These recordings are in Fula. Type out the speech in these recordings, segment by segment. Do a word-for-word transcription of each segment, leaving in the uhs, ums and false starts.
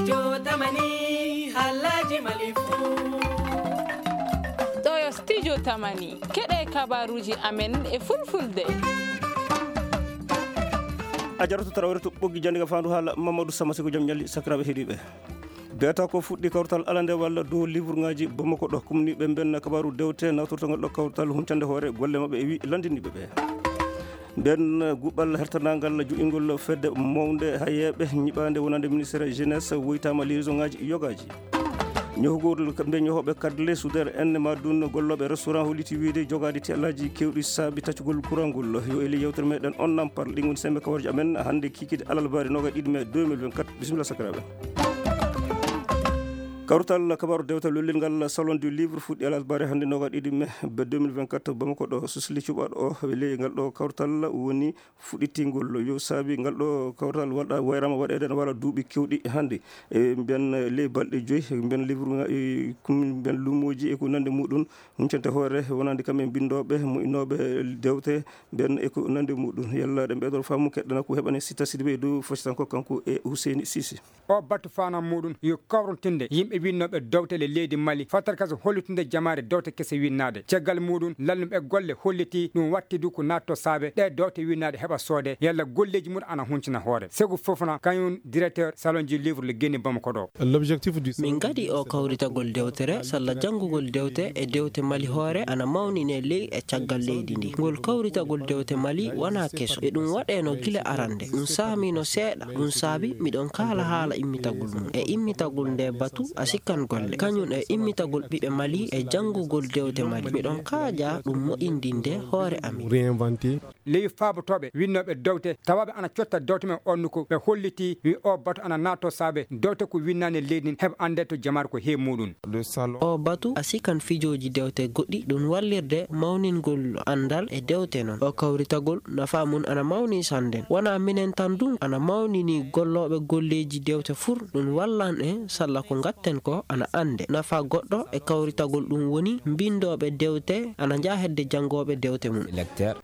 Jotamani, halaji malifu. Ɗo yo studio Tamani. Keɗe kabaruji amen e fulfulde. A jaratu tarawere to ɓoggi jannde ka faandu haala Mamadou Sama Siko jom ñalli sakiraaɓe heɗiiɓe. Beeta ko fuɗɗi kawtal alande walla dow livrŋaaji Bamako ɗo kumni ɓe mbenna kabaru dewte nawtortogol ɗo kawtal huncande hoore golle maɓɓe e wi lanndiniiɓe ɓe. Nden guɓal hertanangal joɗingol fedde mawnde hayeeɓe ñiɓaande wonande ministére jeunesse woytaama liaisonŋaaji yogaaji. Ñohugol mbe ñohoɓe kadle sudere en ma dun gollooɓe restaurant holliti wiide jogaade teelaaji kewɗi saabi taccugol kurangol yo e ley yewtere meɗen on nampal ɗi ngoni sembe kawarji amen hannde kikide alalbaari noga ɗiɗi mai deux mille vingt-quatre. Bisimilla sakiraaɓe. Kawrutal kabaru dewta lollel ngal salon du livre fuɗɗi alalbaari hannde noga ɗiɗi mai deux mille vingt-quatre bamako ɗo susli cuɓaɗo o e ley ngal ɗo kawrutal woni fuɗɗitingol yo saabi ngal ɗo kawtal waɗa wayrama waɗede ene wala duuɓi kewɗi hannde e mbiyan ley balɗe joyi mbiyan livre mbiyan lumoji e ko nande muɗum huncante hoore wonande kamɓe mbindoɓe moƴƴinoɓe dewte mbiyan e ko nande muɗum yalla ɗe ɓeɗon faamu keɗɗana ko heɓane sitta sidibe e dow fasitan ko kanko e huseyni sisi. O batu fanan muɗum yo kawrintinde yimɓe winnooɓe dowte le leydi Mali fatarkasa hollitunde jamaare dowte kese winnaade caggal muɗum lallumɓe golle holliti ɗum wattidu ko natto saabe ɗe dowte winnaade heɓa soode yalla golleeji mum ana huncina hoore segu fofna kañum directeur salon ji livre le geni bamako ɗo. L'objectif du min ngadi o kawritagol dewtere salla janngugol dewte e dewte Mali hoore ana mawnine ley e caggal leydi ndi ngol kawritagol dewte Mali wona keso e ɗum waɗeno gila arande ɗum saamino seeɗa ɗum saabi miɗon kaala haala immitagol mum e immitagol nde batu a sikkan golle kañum e immitagol ɓiɓɓe Mali e janngugol dewte Mali miɗon kaaja ɗum moƴƴindinde hoore amin. Ley faabotooɓe winnooɓe dowte tawaaɓe ana cotta dowte men onnuko ɓe holliti wi o batu ana naatoo saabe dowte ko winnaani leydi ndin heɓa annde to jamaare ko heewi muɗum. O batu a sikan fijooji dewte goɗɗi ɗum wallirde mawningol anndal e dewte noon o kawritagol nafa mum ana mawni sannden wonaa minen tan dum ana mawnini gollooɓe golleeji dewte fur ɗum wallan en salla ko ngatten ko ana annde nafa goɗɗo e kawritagol ɗum woni mbinndooɓe dewte ana njaha hedde janngooɓe dewte mum.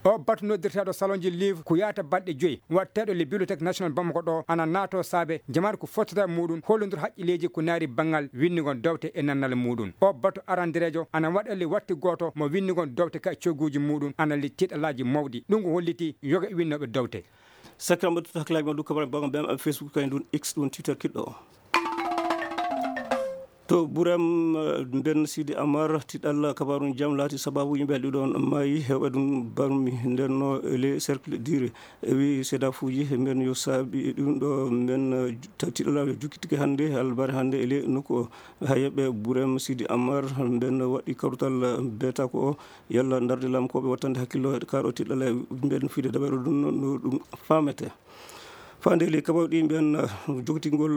O batu noddirteeɗo salonji livre ko yahata balɗe joyi waɗteeɗo le bibliothèque national bamako ɗo ana naato saabe jamaare ko fottata muɗum hollondir haqqilleeji ko naari banngal winndugol dowte e nannal muɗum o batu arandireejo ana waɗa le watti gooto mo winndugol dowte ka cogguuji muɗum ana le tiiɗalaaji mawɗi ɗum ko holliti yoga e winnooɓe dowte. Sakkiram ɓe tutto hakkilaaji ma du kabare bago mbiyam aɓe facebook kañum ɗum x ɗum twitter kiɗɗo o. To burem mbenn sidi amar tiɗalla kabaru jam laati sababu yimɓe ɗiɗon maayi hewɓe ɗum barmi ndenno e les cercle dire e wi sedafuji mbenn yo saabi ɗum ɗo mbenn tiɗalla jukkitike hannde albare hannde e le nokku o. Hayeɓe burem sidi amar mbenn waɗi karutal beta ko o yalla darde lam koɓe wattande hakkillo kaɗo tiɗalla mbenn fiide daɓere ɗum no ɗum famete. Fande ley kabaru ɗi mbiyan jogtingol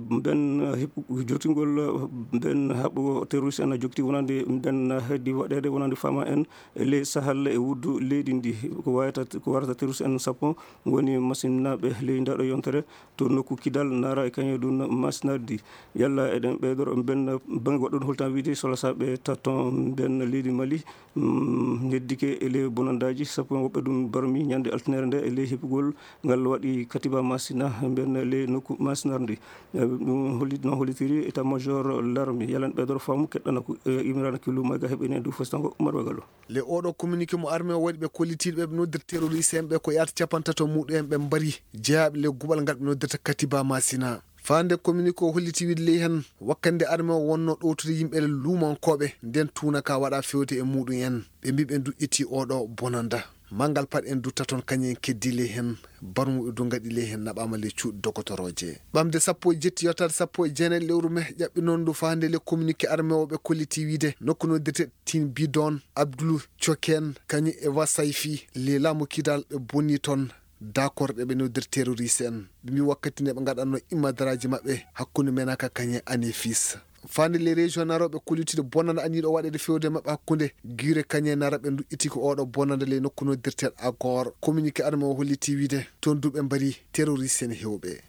mbiyan jogtingol mbiyan haɓɓo terroriste en jogti wonande mbiyan heddi waɗede wonande fama en e ley sahal e wuddu leydi ndi ko wayata ko warata terroriste en sappo woni masinnaɓe ley ndaɗo yontere to nokku kidal nara e kañum ɗum masinardi yalla eɗen ɓeydoro mbiyan bange goɗɗo ɗum holtan wiide sola saɓe tatton mbiyan leydi mali. Heddike e ley bonandaji sappo en woɓɓe ɗum barmi ñande altinere nde e ley heɓugol ngal waɗi katiba masina mbiyan ley nokku masinarndi. Ɗum hollit noon hollitiri état major l'armée yalan ɓeydoro faamu keɗɗana ko imirana ki lumayga heɓini e dow fostango umar wagalo. Le oɗo communiqué mo armée o waɗi ɓe kollitiiɗo ɓe ɓe noddirta terroriste en ɓe ko yaata capantato muɗum en ɓe mbari jeyaaɓe le guɓal ngal ɓe noddirta katiba masina. Faande communiqué o holliti wiide ley heen wakkannde arme o wonnoo ɗowtude yimɓe luumankooɓe ndeen tuuna ka waɗaa feewde e muuɗum en. Ɓe mbii ɓe nduƴƴitii oo ɗoo bonannda. Manngal pat en dutta toon kañum en keddii ley heen barmuɓe du ngaɗi ley heen naɓaama ley cuuɗi dogotorooje. Ɓamde sappo e jetti yottaade sappo e jeenayi lewru me ƴaɓɓinoon ndu faande le communiqué arme o ɓe kollitii wiide nokku noddirte Tin Bidon, Abdul Coken kañum e Wasayfi le laamu Kidal ɓe bonnii toon. Dakorɗe ɓe noddir terroriste en ɓe mbi wakkati nde ɓe gaɗanno immadaraaji maɓɓe hakkunde menaka kañe anefis. Fande les régions naroɓe kollitude bonande aniɗo waɗede fewde maɓɓe hakkunde guire kañe naraɓe duƴƴiti ko oɗo bonande ley nokku noddirtel accord communiqué arme o holliti wiide toon duɓe mbari terroriste en hewɓe.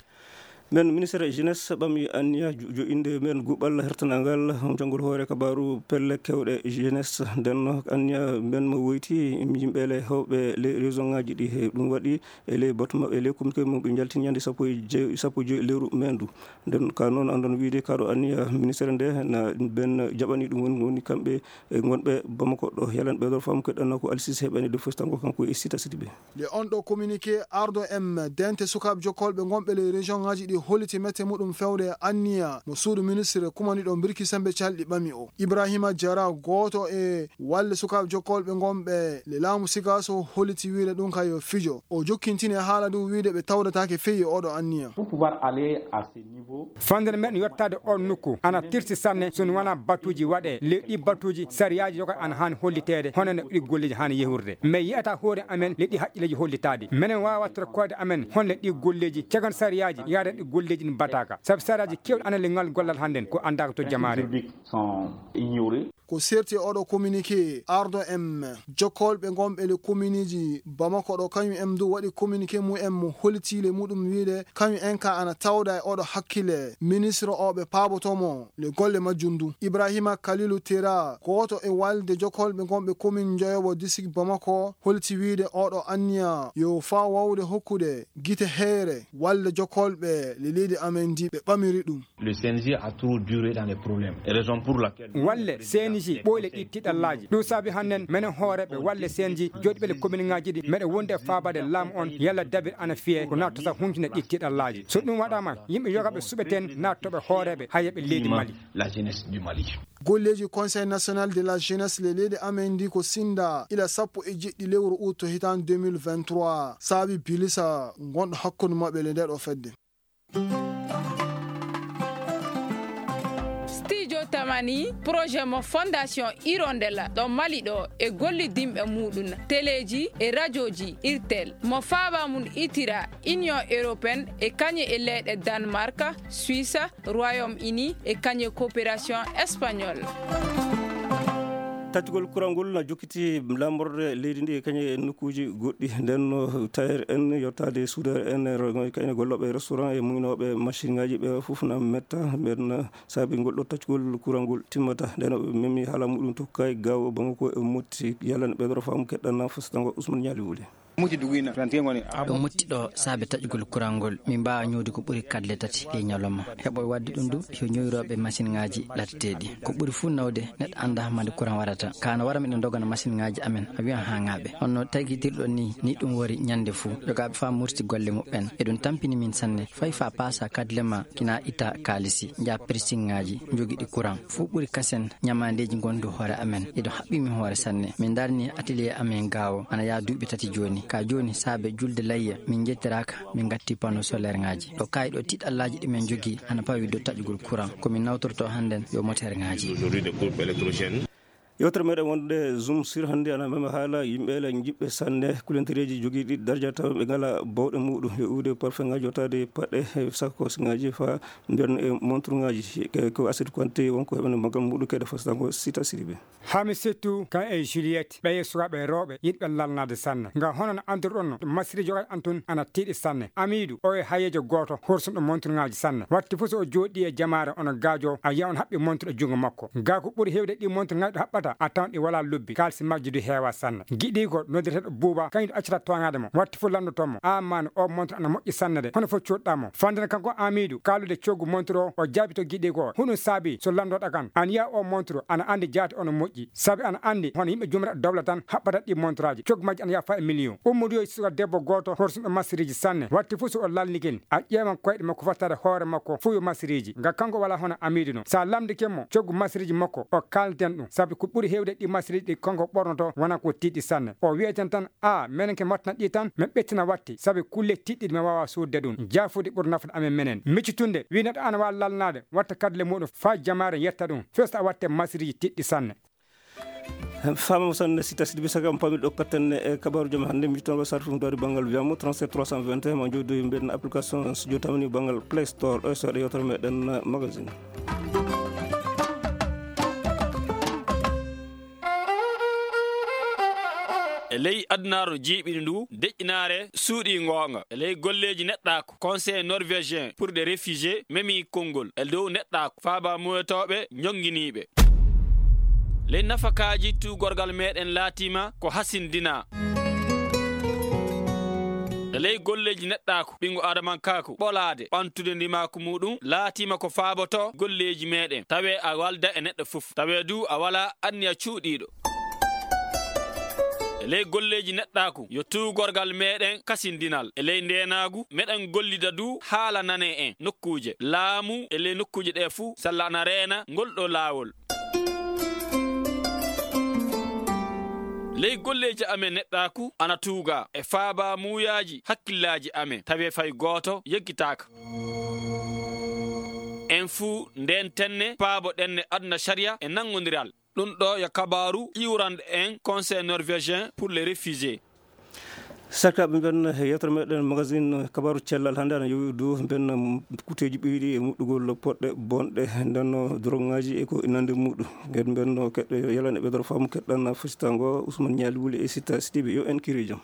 Men ministre jeunesse ɓami anniya jo-, jo'inde men guɓal hertanangal jangol hoore kabaru pelle kewɗe jeunesse. Nden anniya men mo woyti yimɓe le hewɓe le région ngaji ɗi he ɗum waɗi e le batu maɓɓe le communiqué mum ɓe jaltini ñande sappo e joy, sappo e joy leru men du. Nden ka noon andon wiide kaɗo anniya ministre nde na ben jaɓani ɗum woni, woni kamɓe e gonɓe Bamako ɗo. Yalan ɓeɗo fam keɗɗanno ko Alsis heɓani de fostango kanko e sita sidi ɓe. Le on ɗo communiqué arɗo M dente sukaaɓe jokkolɓe gonɓe le région ngaji ɗi holliti mette muɗum fewde anniya mo suudu ministre kumaniɗo mbirki sembe calɗi ɓami o. Ibrahima Jara, gooto e walle sukaaɓe jokkolɓe gonɓe le laamu Sikaso holliti wiide ɗum kay yo fijo. O jokkintini e haala du wiide ɓe tawdataake feyi e oɗo anniya. Pour pouvoir aller à ce niveau, fande no meɗen yottaade on nokku ana tirsi sanne so wona batuuji waɗe. Le ɗi batuuji sariyaaji yoga ana haani holliteede hono no ɗi golleeji haani yehurde. Mais yiyata hoore amen le ɗi haqqilleeji hollitaade. Menen waawa wattorde koyɗe amen honle ɗi golleeji cagan sariyaaji yaada ɗi golleeji ɗi mbataka. Sabu sariyaaji kewɗi ana le ngal gollal hannden ko anndaka to jamaare. Juridiques sont ignorés. Ko serti e oɗo communiqué arɗo M jokkolɓe gonɓe le communeji Bamako ɗo, kañum en du waɗi communiqué mum en mo holliti le muɗum wiide kañum en ka ana tawda e oɗo hakkille ministre o ɓe paabotomo le golle majjum du. Ibrahima Kalilu Tera, gooto e walde jokkolɓe gonɓe commune Njoyobo district Bamako, holliti wiide oɗo anniya yo faa wawde hokkude gite heere walde jokkolɓe le leydi amen ndi ɓe ɓamiri ɗum. Le C N J a trop duré dans les problèmes. Raison pour laquelle walle C N J ɓooyle ɗi tiɗallaaji. Ɗum saabi hannden menen hooreeɓe walle C N J jooɗiiɓe le commune ngaaji ɗi meɗe wonde e faabaade laamu on yalla dabir ana fiyee ko nattata huncinde ɗi tiɗallaaji. So ɗum waɗaama yimɓe yogaaɓe suɓeten nattoɓe hooreeɓe hayeɓe leydi Mali. La jeunesse du Mali. Golleeji Conseil national de la jeunesse le leydi amen ndi ko sinda ila sappo e jeɗɗi lewru août hitaan deux mille vingt-trois saabi bilisa gonɗo hakkunde maɓɓe le nde ɗo fedde. Studio Tamani, projet mo Fondation Hirondella ɗo Mali ɗo e gollidinɓe muɗum teleji e radioji Irtel mo faaba mum itira Union Européenne e kañe e leyɗe Danemark, Suisse, Royaume-Uni e kañe coopération espagnole. Taccugol kural ngol na jokkiti laamorde leydi ndi e kañe e nokkuuji goɗɗi. Nden no tailleur en, yottaade soudeur en, e ro-, kayne gollooɓe e restaurant e muynooɓe machine ngaji ɓe fof na metta. Ɓen saabi ngol ɗo taccugol kural ngol timmata. Nden o memi haala muɗum tokka e gawo bango ko e motti. Yalla ne ɓeydoro faamu keɗɗan na fasitango Ousmane Ñaali Wuli. Muti dugina, tanti ngoni. Ɗo mutti ɗo saabe taƴugol kural ngol, min mbaawa ñoowde ko ɓuri katle tati e ñalawma. Heɓooɓe waɗde ɗum du, yo ñooyrooɓe masiŋaaji laddeteeɗi. Ko ɓuri fuu nawde, neɗɗo anndaa hannde kural waɗata. Ka no wara miɗo ndogana masiŋaaji amen, a wiyan haa ŋaaɓe. Hono tagitirɗo ni, ni ɗum wari ñande fuu. Jogaaɓe faa murti golle muɓɓen. Eɗum tampini min sanne. Fay faa paasa katle ma kina itta kaalisi. Njaa pressingaaji, njogiɗi kural. Fuu ɓuri kasen ñamaandeeji ngondu hoore amen. Eɗum haɓɓi min hoore sanne. Min ndarni atelier amen gaawo. Ana yaa duuɓi tati jooni. Ka jooni saabe julde layya, min njettiraaka. Min ngatti panneau solaire ŋaaji. Ɗo kaayi ɗo tiiɗallaaji ɗi min njogii ana pawi dow taƴugol kural. Ko min nawtorto hannden yo moteur ŋaaji. Aujourd'hui, des groupes électrogènes. Yewtere meɗen wonde Zoom sur hannde ana mema haala yimɓe la jiɓɓe sanne kulentereeji jogiiɗi darja tawa ɓe ngala bawɗe muɗum e uude parfum ŋaaji yottaade paɗe e sakos ŋaaji fa mbiyan e montre ŋaaji. Ko Asid Konte wonko heɓene maggal muɗum kede fasango sita siribe. Haa mi settu kan e Juliette, ɓeye sukaaɓe rewɓe yiɗɓe lalnaade sanne. Nga hono no anndirɗon no, masiri jogaɗo an tun ana tiiɗi sanne. Amiidu, o e hayeejo gooto horsunɗo monturŋaaji sanne. Watti fof so o jooɗii e jamaare, ono gaajo, a yiya on haɓɓi montre e junngo makko. Gaa ko ɓuri heewde ɗi monturŋaaji ɗo haɓɓata, a tawan ɗi walaa lobbi, kaalisi majji du heewaa sanne. Giɗiiko noddireteeɗo Buuba, kañum ɗo accata tooñaade mo. Watti fof lanndotoo mo, "Aa maani, o montre ana moƴƴi sanne de, hono fof coodɗaa mo?" Fande kanko Amiidu, kaalude coggu montre o, o jaabi to giɗiiko o, "Huɗum saabi so lanndooɗo kan, an yiya o montre, ana anndi jaati ono moƴƴi." Sabi ana anndi hono yimɓe jumre dowla tan haɓɓata ɗi montraaji. Coggu majji ana yaha faa e million. Ummudu yo suka debbo gooto horsuɗo masiriji sanne. Watti fof so o lalnikin, a ƴeewan koyɗe makko fof tawa hoore makko fof yo masiriji. Nga kanko wala hono Amiidu no. Sa lamndike mo coggu masiriji makko, o kalnten ɗum. Sabi ko ɓuri heewde ɗi masiriji ɗi kanko ɓornoto wona ko tiiɗi sanne. O wi'eten tan, "A, menen ke mattina ɗi tan, min ɓettina watti. Sabi kulle tiiɗɗi ɗi min waawa soodde ɗum. Jaafuɗi ɓuri nafde amen menen." Miccitunde, wi neɗɗo ana waawi lalnaade, watta kadle muɗum faa jamaare yetta ɗum. Firti a watte masiriji tiiɗɗi sanne. Faama mo sanne si tasdi bisa kam pami ɗo katten e kabaaru jam hannde mi tan ko sarfum dari banngal wiyamo trente-sept trois cent vingt et un ma jooɗi mbiɗen application studio tamani banngal Play Store ɗo so waɗa yewtere meɗen magazine. E ley adunaaru jiiɓini ndu, deƴƴinaare suuɗii ngoonga. E ley golleeji neɗɗaaku, Conseil norvégien pour les réfugiés memii konngol e dow neɗɗaaku faaba muuyotooɓe ñonnginiiɓe. Ley nafakaaji tuugorgal meeɗen laatiima ko hasindinaa. E ley golleeji neɗɗaaku, ɓinngu aadamankaaku ɓolaade, ɓamtude ndimaaku muuɗum laatiima ko faabotoo golleeji meeɗen. Tawee a walda e neɗɗo fof, tawee du a walaa anniya cuuɗiiɗo. E ley golleeji neɗɗaaku, yo tuugorgal meeɗen kasindinal. E ley ndeenaagu, meɗen gollida du haala nanee en nokkuuje laamu. E ley nokkuuje ɗee fuu, sella ana reena ngol ɗoo laawol. Ley golleeji amen neɗɗaaku ana tuuga e faaba muuyaaji hakkillaaji amen, tawee fay gooto yeggitaaka. En fuu ndeen tenne, paabo ɗenne aduna sariya e nanngondiral. Ɗum ɗo yo kabaaru iwrande en Conseil norvégien pour les réfugiés. Sakiraaɓe, mben yewtere meɗen magazine kabaaru cellal hannde ana yowi du mben kuteeji ɓeyɗi e muɗɗugol poɗɗe bonɗe ndenno drogaji e ko nande muɗum. Ngeen mben keɗɗo yalane ɓe doro faamu keɗɗan fasitango Ousmane Ñaali Wuli e Sita Sidibe, yo en kiri jam.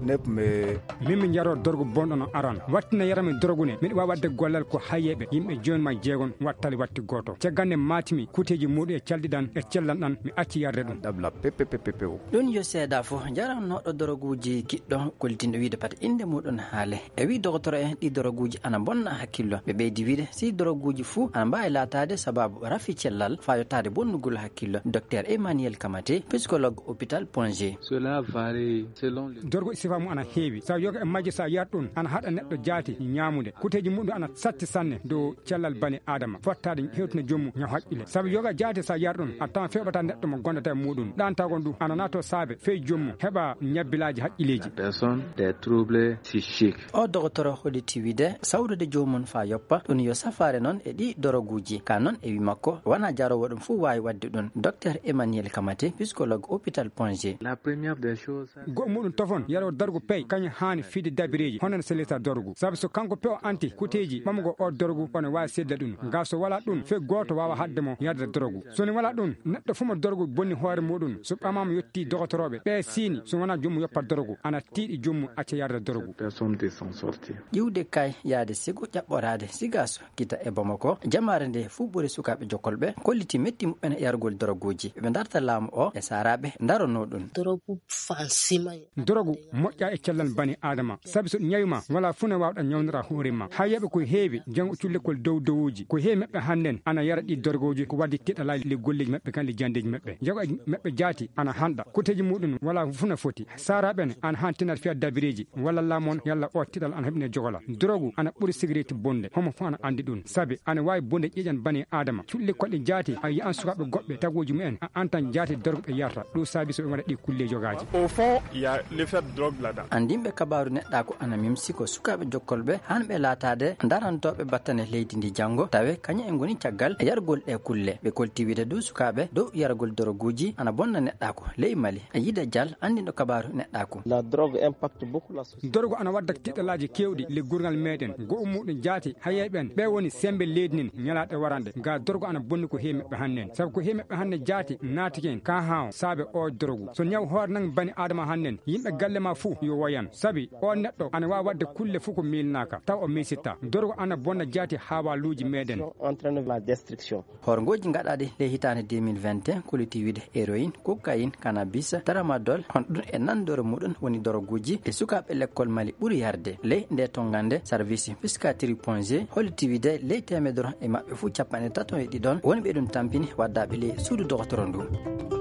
Neb me. Min mi jaroo dorgo bonɗo no aran. Wattina yarami dorgo ne. Miɗo waawi waɗde gollal ko hayyeeɓe. Yimɓe jooni ma jeegon wattali watti gooto. Caggal nde maatimi kuteeji muuɗum e calɗi ɗan e cellal ɗan, mi acci yarde ɗum. Dabla pepe pepe pepe o. Ɗum yo seedaa fof. Jarannooɗo doroguuji kiɗɗo gollitinɗo wiyde pata innde muuɗum haale. E wii dogotoro en ɗi doroguuji ana bonna hakkillo. Ɓe ɓeydi wiyde si doroguuji fuu ana mbaawi laataade sabaabu rafi cellal faa yottaade bonnugol hakkillo. Docteur Emmanuel Kamate, psychologue hôpital Ponge. Cela varie selon les. Dorgo sifa mum ana heewi. Sabu yoga e majje so a yiyat ɗum ana haɗa neɗɗo jaati ñaamude. Kuteeji muɗum ana satti sanne dow cellal bani Aadama. Fottaade hewtina joom mum ñaw haqqille. Sabu yoga jaati so a yiyat ɗum a tawan feeɓata neɗɗo mo gondata e muɗum. Ɗaantagol ndu ana nato saabe fey joom mum heɓa ñabbilaaji haqqilleeji. Personne des troubles psychiques. O dogotoro holliti wiyde sawrude joomum faa yoppa, ɗum yo safaare noon e ɗii doroguuji. Ka noon e wii makko, wonaa jaroowo ɗum fof waawi waɗde ɗum. Docteur Emmanuel Kamate, psychologue hôpital Ponge. La première des choses, ça. Goɗɗo muɗum tofon, yaroo dargu pey, kañum haani fiide dabireeji, hono no sellita dorgu. Sabu so kanko pewo anti kuteeji ɓamugol o dorgu, ono waawi seedda ɗum. Ngaa so walaa ɗum, fey gooto waawa haɗde mo yarde dorgu. So ni walaa ɗum, neɗɗo fof mo dorgu bonni hoore muɗum, so ɓamaama yottii dogotorooɓe, ɓe siini, so wonaa joom mum yoppa dorgu, ana tiiɗi joom mum acca yarde dorgu. Personne de s'en sortir. Ƴiwde kay yaade sigo ƴaɓɓoraade sigaso kita e Bamako, jamaare nde fuu ɓuri sukaaɓe jokkolɓe, kolliti metti muɓɓen e yargol doroguuji. Ɓe darta laamu o e saaraaɓe daronoo ɗum. Dorogu fansima. Dorogu moƴƴa e cellal bani Aadama, sabi so ɗum ñawi ma, wala fuu ne waawɗa ñawnira hoore ma. Hayyaɓe ko heewi, janngo cullekkol dow dowuuji, ko heewi maɓɓe hannden ana yara ɗi doroguuji, ko waddi tiɗalaaji le golleeji maɓɓe kan le janndeeji maɓɓe. Jago e maɓɓe jaati ana hanɗa, kuteeji muɗum wala fuu ne foti. Saaraaɓe ne ana han tinat fiya dabireeji, walla laamu on yalla o tiɗal ana heɓine jogola. Dorogu ana ɓuri sigareeti bonde, homo fof ana anndi ɗum, sabi ana waawi bonde ƴeeƴan bani Aadama. Cullekkol ɗe jaati a yiyan sukaaɓe goɗɓe taguuji mumen a antan jaati dorogu ɓe yarta, ɗum saabi so ɓe waɗa ɗi kulle jogaaji. Au fond, il y a l'effet de drogue là-dedans. Anndinɓe kabaaru neɗɗaaku ana mimsi ko sukaaɓe jokkolɓe han ɓe laataade darantooɓe battane leydi ndi janngo, tawe kañum en ngoni caggal e yargol ɗe kulle. Ɓe kolti wiyde du sukaaɓe dow yargol doroguuji ana bonna neɗɗaaku ley Mali. E Yida Dial, anndinɗo kabaaru neɗɗaaku. La drogue impacte beaucoup la société. Dorogu ana wadda tiɗalaaji keewɗi le gurngal meɗen. Go'o muɗum jaati hayay ɓen. Ɓe woni sembe leydi nin ñalaaɗe waranɗe. Ga dorogu ana bonni ko heewi maɓɓe hannden. Sabu ko heewi maɓɓe hannden jaati naatike en ka haawo saabe o dorogu. So ñaw hoore nan bani Aadama hannden, yimɓe galle ma fuu yo woyan. Sabi o neɗɗo ana waawi waɗde kulle fuu ko miilnaaka, taw o miisitta. Dorogu ana bonna jaati haawaaluuji meɗen. Entraîne la destruction. Horngooji gaɗaaɗi ley hitaande deux mille vingt et un, koliti wiyde héroïne, cocaïne, cannabis, tramadol, hono ɗum e nanndore muɗum woni doroguuji ɗi sukaaɓe lekkol Mali ɓuri yarde. Ley nde tonngande, service psychiatrie Ponge holliti wiyde ley teemedere e maɓɓe fuu capanɗe tato e ɗiɗon woni ɓe ɗum tampini waddaaɓe ley suudu dogotoro ndu.